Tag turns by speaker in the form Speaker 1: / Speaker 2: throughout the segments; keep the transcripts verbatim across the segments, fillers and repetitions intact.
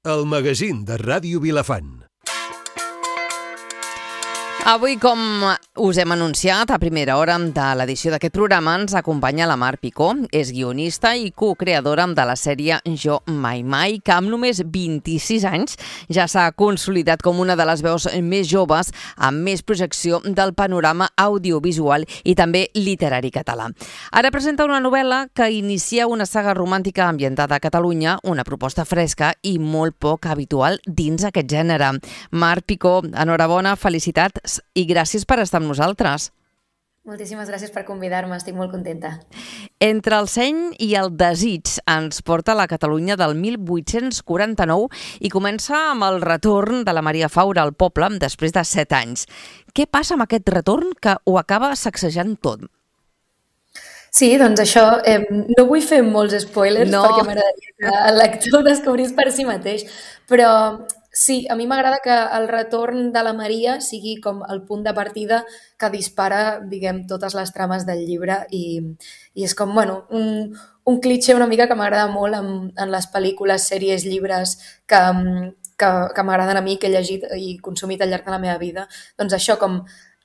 Speaker 1: El magazín de Ràdio Vilafant.
Speaker 2: Avui, com us hem anunciat a primera hora de l'edició d'aquest programa, ens acompanya la Mar Picó. És guionista i co-creadora de la sèrie Jo Mai Mai, que amb només vint-i-sis anys ja s'ha consolidat com una de les veus més joves amb més projecció del panorama audiovisual i també literari català. Ara presenta una novel·la que inicia una saga romàntica ambientada a Catalunya, una proposta fresca i molt poc habitual dins aquest gènere. Mar Picó, enhorabona, felicitats i gràcies per estar amb nosaltres.
Speaker 3: Moltíssimes gràcies per convidar-me, estic molt contenta.
Speaker 2: Entre el seny i el desig ens porta a la Catalunya del mil vuit-cents quaranta-nou i comença amb el retorn de la Maria Faura al poble després de set anys. Què passa amb aquest retorn que ho acaba sacsejant tot?
Speaker 3: Sí, doncs això, eh, no vull fer molts spoilers
Speaker 2: No.
Speaker 3: perquè m'agradaria que el lector ho descobrís per si mateix, però sí, a mi m'agrada que el retorn de la Maria sigui com el punt de partida que dispara, diguem, totes les trames del llibre i, i és com, bueno, un, un clitxé una mica que m'agrada molt en, en les pel·lícules, sèries, llibres que, que, que m'agraden a mi, que he llegit i consumit al llarg de la meva vida. Doncs això, com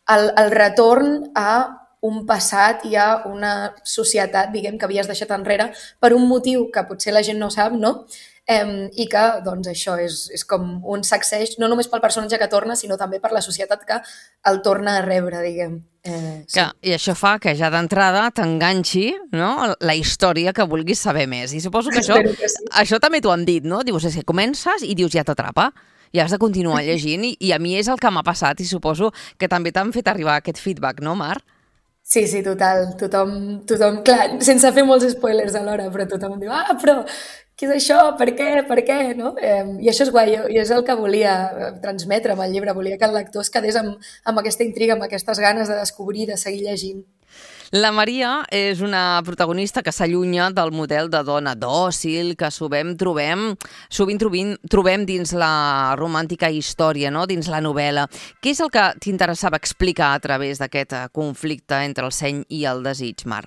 Speaker 3: el, el retorn a un passat i a una societat, diguem, que havies deixat enrere per un motiu que potser la gent no sap, no? Eh, i que, doncs, això és, és com un sacseig, no només pel personatge que torna, sinó també per la societat que el torna a rebre, diguem. Eh, sí.
Speaker 2: Que, I això fa que ja d'entrada t'enganxi, no?, la història que vulguis saber més. I suposo que això,
Speaker 3: Espero que sí.
Speaker 2: això també t'ho han dit, no? Dius, és que comences i dius, ja t'atrapa, i has de continuar llegint, i, i a mi és el que m'ha passat, i suposo que també t'han fet arribar aquest feedback, no, Mar?
Speaker 3: Sí, sí, total. Tothom, tothom, clar, sense fer molts spoilers alhora, però tothom diu, ah, però què és això? Per què? Per què? No? Eh, I això és guai, i és el que volia transmetre amb el llibre. Volia que el lector es quedés amb, amb aquesta intriga, amb aquestes ganes de descobrir, de seguir llegint.
Speaker 2: La Maria és una protagonista que s'allunya del model de dona dòcil que sovint trobem, sovint trobem, trobem dins la romàntica història, no?, dins la novel·la. Què és el que t'interessava explicar a través d'aquest conflicte entre el seny i el desig, Mar?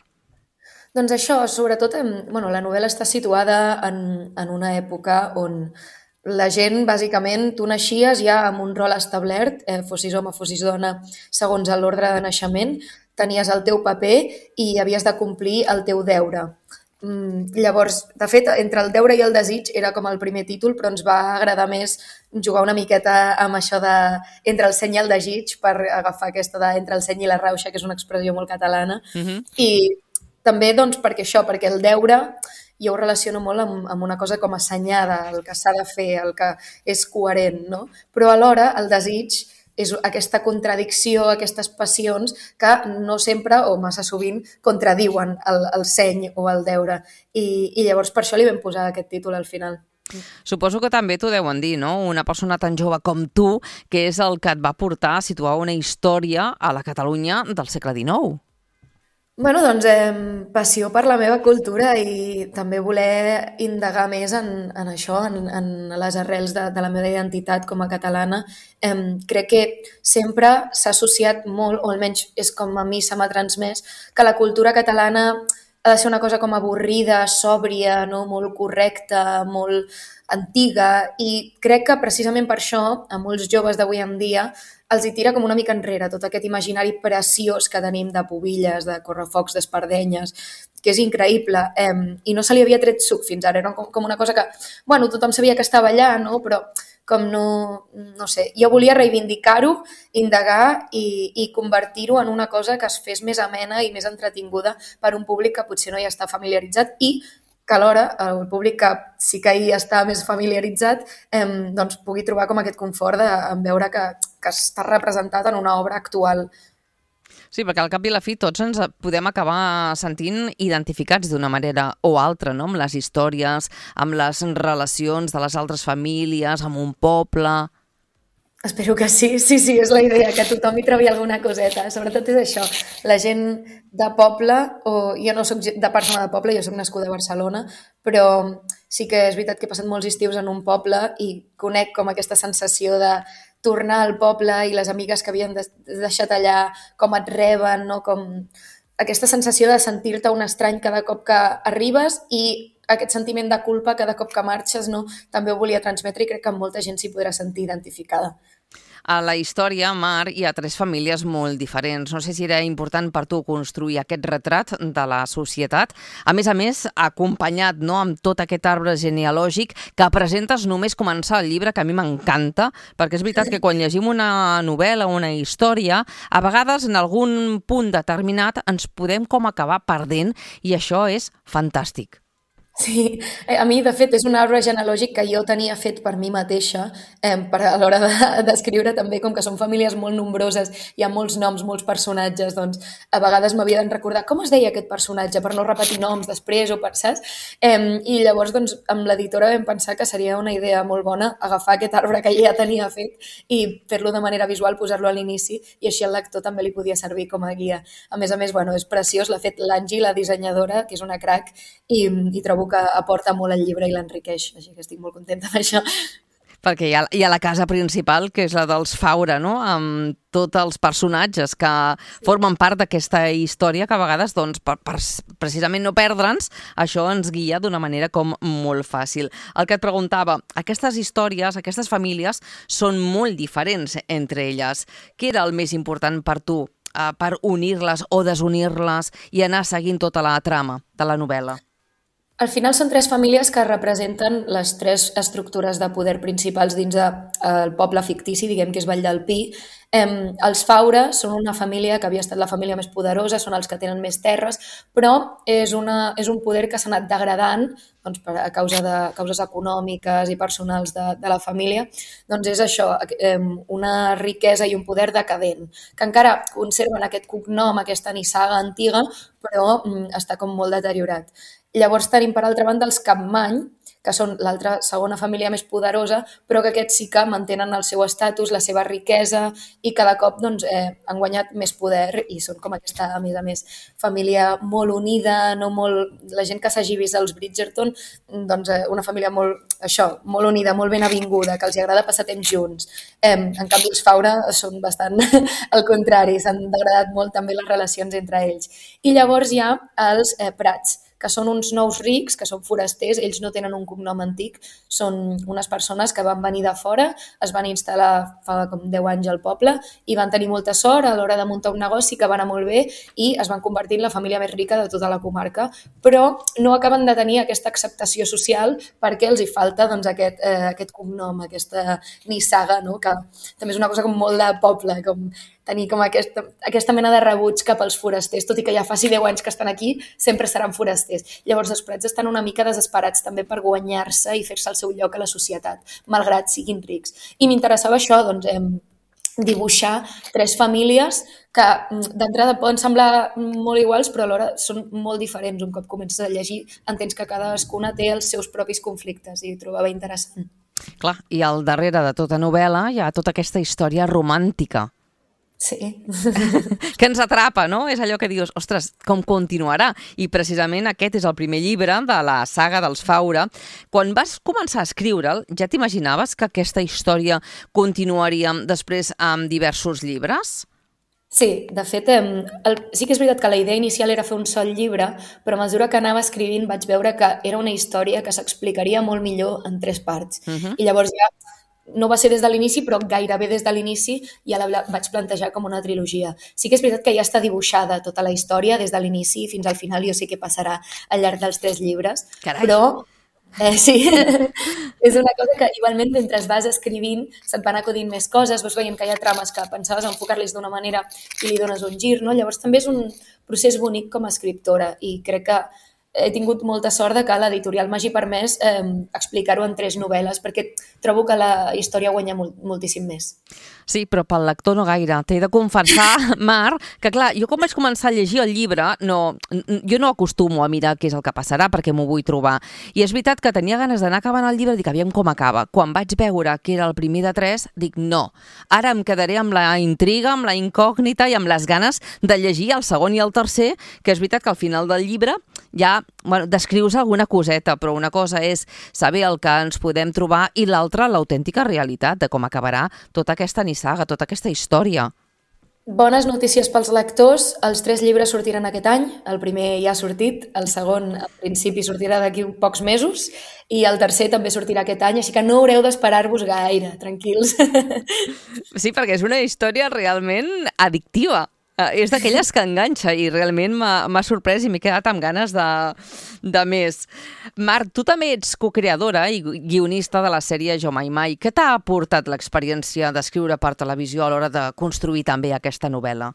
Speaker 3: Doncs això, sobretot, bueno, la novel·la està situada en, en una època on la gent, bàsicament, tu naixies ja amb un rol establert, eh, fossis home, fossis dona, segons l'ordre de naixement, tenies el teu paper i havies de complir el teu deure. Mm, llavors, de fet, entre el deure i el desig era com el primer títol, però ens va agradar més jugar una miqueta amb això de entre el seny i el desig per agafar aquesta de entre el seny i la rauxa, que és una expressió molt catalana.
Speaker 2: Uh-huh.
Speaker 3: I també, doncs, perquè això, perquè el deure jo ho relaciono molt amb, amb una cosa com assenyada, el que s'ha de fer, el que és coherent, no? Però alhora el desig és aquesta contradicció, aquestes passions que no sempre o massa sovint contradiuen el, el seny o el deure. I, I llavors per això li vam posar aquest títol al final.
Speaker 2: Suposo que també t'ho deuen dir, no? Una persona tan jove com tu, que és el que et va portar a situar una història a la Catalunya del segle dinou.
Speaker 3: Bueno, doncs, eh, passió per la meva cultura i també voler indagar més en, en això, en, en les arrels de, de la meva identitat com a catalana. Eh, crec que sempre s'ha associat molt, o almenys és com a mi se m'ha transmès, que la cultura catalana ha de ser una cosa com avorrida, sòbria, no? Molt correcta, molt antiga, i crec que precisament per això a molts joves d'avui en dia els hi tira com una mica enrere tot aquest imaginari preciós que tenim de pubilles, de correfocs, d'espardenyes, que és increïble, eh, i no se li havia tret suc fins ara, era com, com una cosa que, bueno, tothom sabia que estava allà, no? Però com no, no sé, jo volia reivindicar-ho, indagar i, i convertir-ho en una cosa que es fes més amena i més entretinguda per un públic que potser no hi està familiaritzat i que alhora el públic que sí que hi està més familiaritzat eh, doncs pugui trobar com aquest confort de, en veure que, que està representat en una obra actual.
Speaker 2: Sí, perquè al cap i la fi tots ens podem acabar sentint identificats d'una manera o altra, no?, amb les històries, amb les relacions de les altres famílies, amb un poble.
Speaker 3: Espero que sí, sí, sí, és la idea, que tothom hi trobi alguna coseta. Sobretot és això, la gent de poble, o jo no soc de persona de poble, jo soc nascuda a Barcelona, però sí que és veritat que he passat molts estius en un poble i conec com aquesta sensació de tornar al poble i les amigues que havien deixat allà, com et reben, no? Com aquesta sensació de sentir-te un estrany cada cop que arribes i aquest sentiment de culpa cada cop que marxes, no? També ho volia transmetre i crec que molta gent s'hi podrà sentir identificada.
Speaker 2: A la història, Mar, hi ha tres famílies molt diferents. No sé si era important per tu construir aquest retrat de la societat. A més a més, acompanyat, no, amb tot aquest arbre genealògic que presentes només començar el llibre, que a mi m'encanta, perquè és veritat que quan llegim una novel·la o una història, a vegades en algun punt determinat ens podem com acabar perdent i això és fantàstic.
Speaker 3: Sí, a mi, de fet, és un arbre genealògic que jo tenia fet per mi mateixa, eh, per a l'hora d'escriure de, també, com que són famílies molt nombroses, hi ha molts noms, molts personatges, doncs a vegades m'havia de recordar com es deia aquest personatge per no repetir noms després o per, saps? Eh, I llavors, doncs, amb l'editora vam pensar que seria una idea molt bona agafar aquest arbre que ja tenia fet i fer-lo de manera visual, posar-lo a l'inici i així el lector també li podia servir com a guia. A més a més, bueno, és preciós, l'ha fet l'Angie, la dissenyadora, que és una crac, i, i trobo que aporta molt al llibre i l'enriqueix, així que estic molt contenta amb això.
Speaker 2: Perquè hi ha, hi ha la casa principal, que és la dels Faura, no? Amb tots els personatges que formen part d'aquesta història que a vegades, doncs, per, per precisament no perdre'ns, això ens guia d'una manera com molt fàcil. El que et preguntava, aquestes històries, aquestes famílies són molt diferents entre elles. Què era el més important per tu, eh, per unir-les o desunir-les i anar seguint tota la trama de la novel·la?
Speaker 3: Al final són tres famílies que representen les tres estructures de poder principals dins del poble fictici, diguem que és Vall del Pi. Eh, els Faura són una família que havia estat la família més poderosa, són els que tenen més terres, però és, una, és un poder que s'ha anat degradant doncs, per, a causa de causes econòmiques i personals de, de la família. Doncs és això, eh, una riquesa i un poder decadent, que encara conserven aquest cognom, aquesta nissaga antiga, però mm, està com molt deteriorat. Llavors tenim, per altra banda, els Capmany, que són l'altra segona família més poderosa, però que aquests sí que mantenen el seu estatus, la seva riquesa i cada cop doncs, eh, han guanyat més poder i són com aquesta, a més a més, família molt unida, no molt... la gent que s'hagi vist als Bridgerton, doncs eh, una família molt, això, molt unida, molt ben avinguda, que els agrada passar temps junts. Eh, en canvi, els Faura són bastant al contrari, s'han degradat molt també les relacions entre ells. I llavors hi ha els eh, Prats, que són uns nous rics, que són forasters, ells no tenen un cognom antic, són unes persones que van venir de fora, es van instal·lar fa com deu anys al poble i van tenir molta sort a l'hora de muntar un negoci que va anar molt bé i es van convertir en la família més rica de tota la comarca, però no acaben de tenir aquesta acceptació social perquè els hi falta doncs, aquest, eh, aquest cognom, aquesta nissaga, no? Que també és una cosa com molt de poble, com tenir com aquesta, aquesta mena de rebuig cap als forasters, tot i que ja faci deu anys que estan aquí, sempre seran forasters. Llavors els Prats estan una mica desesperats també per guanyar-se i fer-se el seu lloc a la societat, malgrat siguin rics. I m'interessava això, doncs, eh, dibuixar tres famílies que d'entrada poden semblar molt iguals, però alhora són molt diferents. Un cop comences a llegir, entens que cadascuna té els seus propis conflictes i ho trobava interessant.
Speaker 2: Clar, i al darrere de tota novel·la hi ha tota aquesta història romàntica.
Speaker 3: Sí.
Speaker 2: Que ens atrapa, no? És allò que dius, ostres, com continuarà? I precisament aquest és el primer llibre de la saga dels Faura. Quan vas començar a escriure'l, ja t'imaginaves que aquesta història continuaria després amb diversos llibres?
Speaker 3: Sí, de fet, eh, el, sí que és veritat que la idea inicial era fer un sol llibre, però a mesura que anava escrivint vaig veure que era una història que s'explicaria molt millor en tres parts. Uh-huh. I llavors ja no va ser des de l'inici, però gairebé des de l'inici ja la vaig plantejar com una trilogia. Sí que és veritat que ja està dibuixada tota la història des de l'inici fins al final, jo sé què passarà al llarg dels tres llibres.
Speaker 2: Carai.
Speaker 3: Però eh, sí, és una cosa que igualment mentre vas escrivint se't van acudint més coses, vas veient que hi ha trames que pensaves enfocar-les d'una manera i li dones un gir, no? Llavors també és un procés bonic com a escriptora i crec que he tingut molta sort de que l'editorial m'hagi permès eh, explicar-ho en tres novel·les perquè trobo que la història guanya molt, moltíssim més.
Speaker 2: Sí, però pel lector no gaire. T'he de confessar, Mar, que clar, jo quan vaig començar a llegir el llibre, no, jo no acostumo a mirar què és el que passarà perquè m'ho vull trobar. I és veritat que tenia ganes d'anar acabant el llibre i dic, aviam com acaba. Quan vaig veure que era el primer de tres, dic, no. Ara em quedaré amb la intriga, amb la incògnita i amb les ganes de llegir el segon i el tercer, que és veritat que al final del llibre ja bueno, descrius alguna coseta, però una cosa és saber el que ens podem trobar i l'altra l'autèntica realitat de com acabarà tota aquesta nissaga, tota aquesta història.
Speaker 3: Bones notícies pels lectors. Els tres llibres sortiran aquest any. El primer ja ha sortit, el segon, al principi, sortirà d'aquí pocs mesos i el tercer també sortirà aquest any, així que no haureu d'esperar-vos gaire, tranquils.
Speaker 2: Sí, perquè és una història realment addictiva. Eh, és d'aquelles que enganxa i realment m'ha m'ha sorprès i m'he quedat amb ganes de, de més. Marc, tu també ets cocreadora i guionista de la sèrie Jo Mai Mai. Què t'ha aportat l'experiència d'escriure per televisió a l'hora de construir també aquesta novel·la?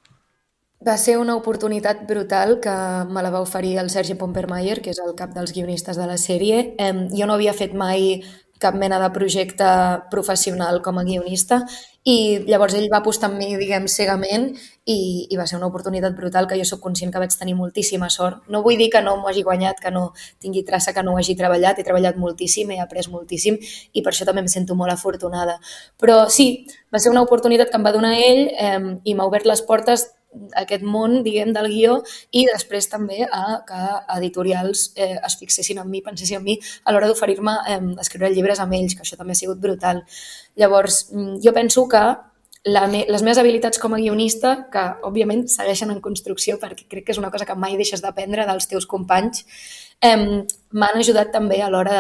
Speaker 3: Va ser una oportunitat brutal que me la va oferir el Sergi Pompermayer, que és el cap dels guionistes de la sèrie. Em, jo no havia fet mai cap mena de projecte professional com a guionista i llavors ell va apostar en mi, diguem, cegament i, i va ser una oportunitat brutal que jo sóc conscient que vaig tenir moltíssima sort. No vull dir que no m'ho hagi guanyat, que no tingui traça, que no ho hagi treballat. He treballat moltíssim, he après moltíssim i per això també em sento molt afortunada. Però sí, va ser una oportunitat que em va donar ell eh, i m'ha obert les portes a aquest món, diguem, del guió i després també a que editorials eh, es fixessin en mi, pensessin en mi a l'hora d'oferir-me eh, escriure llibres amb ells, que això també ha sigut brutal. Llavors, jo penso que la me les meves habilitats com a guionista, que òbviament segueixen en construcció perquè crec que és una cosa que mai deixes d'aprendre dels teus companys, eh, m'han ajudat també a l'hora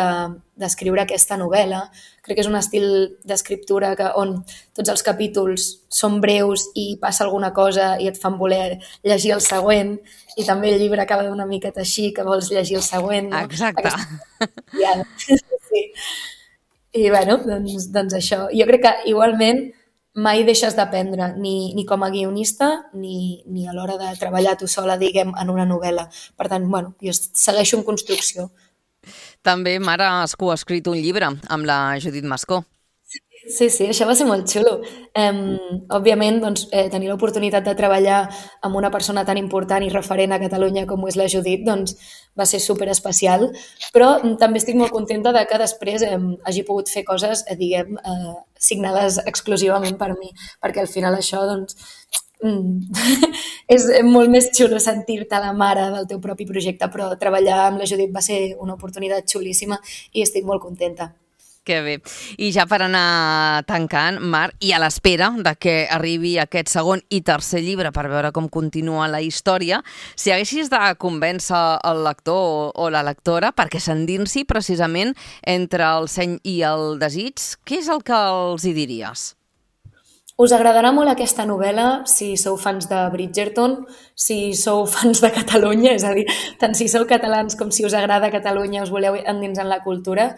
Speaker 3: d'escriure de, aquesta novel·la. Crec que és un estil d'escriptura que, on tots els capítols són breus i passa alguna cosa i et fan voler llegir el següent i també el llibre acaba una miqueta així, que vols llegir el següent. No?
Speaker 2: Exacte.
Speaker 3: Aquesta... Sí. I bueno, doncs, doncs això. Jo crec que igualment mai deixes d'aprendre, ni, ni com a guionista ni, ni a l'hora de treballar tu sola, diguem, en una novel·la. Per tant, bueno, jo segueixo en construcció.
Speaker 2: També, mare, has coescrit un llibre amb la Judit Mascó.
Speaker 3: Sí, sí, això va ser molt xulo. Um, òbviament, doncs, eh, tenir l'oportunitat de treballar amb una persona tan important i referent a Catalunya com ho és la Judit, doncs va ser superespecial, però també estic molt contenta de que després eh, hagi pogut fer coses, eh, diguem, eh, signades exclusivament per mi, perquè al final això, doncs, és molt més xulo sentir-te la mare del teu propi projecte, però treballar amb la Judit va ser una oportunitat xulíssima i estic molt contenta.
Speaker 2: Que bé. I ja per anar tancant, Marc, i a l'espera de que arribi aquest segon i tercer llibre per veure com continua la història, si haguessis de convèncer el lector o la lectora perquè s'endinsi precisament entre el seny i el desig, què és el que els hi diries?
Speaker 3: Us agradarà molt aquesta novel·la si sou fans de Bridgerton, si sou fans de Catalunya, és a dir, tant si sou catalans com si us agrada Catalunya, us voleu endinsar en la cultura.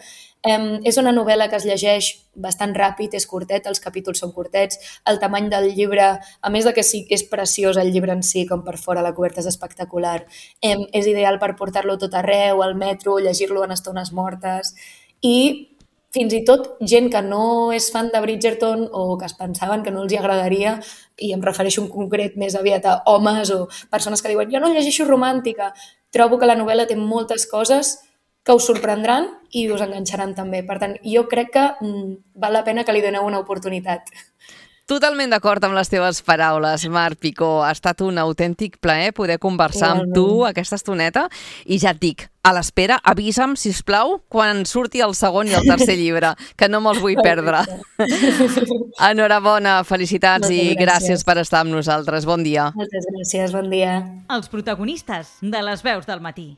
Speaker 3: Um, és una novel·la que es llegeix bastant ràpid, és curtet, els capítols són curtets, el tamany del llibre, a més de que sí és preciós el llibre en si, com per fora, la coberta és espectacular, um, és ideal per portar-lo tot arreu, al metro, llegir-lo en estones mortes i fins i tot gent que no és fan de Bridgerton o que es pensaven que no els hi agradaria, i em refereixo en concret més aviat a homes o persones que diuen jo no llegeixo romàntica, trobo que la novel·la té moltes coses que us sorprendran i us enganxaran també. Per tant, jo crec que mm, val la pena que li doneu una oportunitat.
Speaker 2: Totalment d'acord amb les teves paraules, Marc Picó. Ha estat un autèntic plaer poder conversar Igualment. amb tu aquesta estoneta i ja et dic, a l'espera, avisa'm, sisplau, quan surti el segon i el tercer llibre, que no me'ls vull perdre. Enhorabona, felicitats Moltes i gràcies. gràcies per estar amb nosaltres. Bon dia.
Speaker 3: Moltes gràcies, bon dia.
Speaker 4: Els protagonistes de les veus del matí.